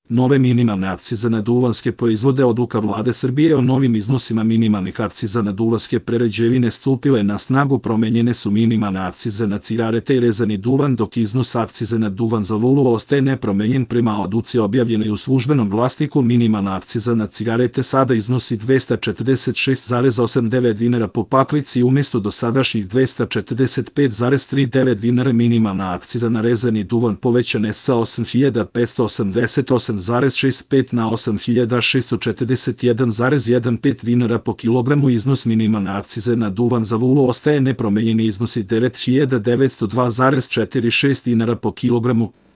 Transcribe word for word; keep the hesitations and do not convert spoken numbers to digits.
Nove minimalne akcize na duvanske proizvode. Odluka Vlade Srbije o novim iznosima minimalnih akciza na duvanske prerađevine stupile na snagu. Promenjene su minimalne akcize na cigarete i rezani duvan, dok iznos akcize na duvan za lulu ostaje nepromenjen. Prema odluci objavljenoj u Službenom glasniku, minimalna akciza na cigarete sada iznosi dvesta četrdeset šest zarez osamdeset devet dinara po paklici umjesto dosadašnjih dvesta četrdeset pet zarez trideset devet dinara. Minimalna akciza na rezani duvan povećana je sa osam hiljada petsto osamdeset osam zarez šezdeset pet na osam hiljada šesto četrdeset jedan zarez pet dinara po kilogramu. Iznos minimalne akcize na duvan za lulu ostaje nepromenjen i iznosi devet hiljada devetsto dva zarez četrdeset šest dinara po kilogramu.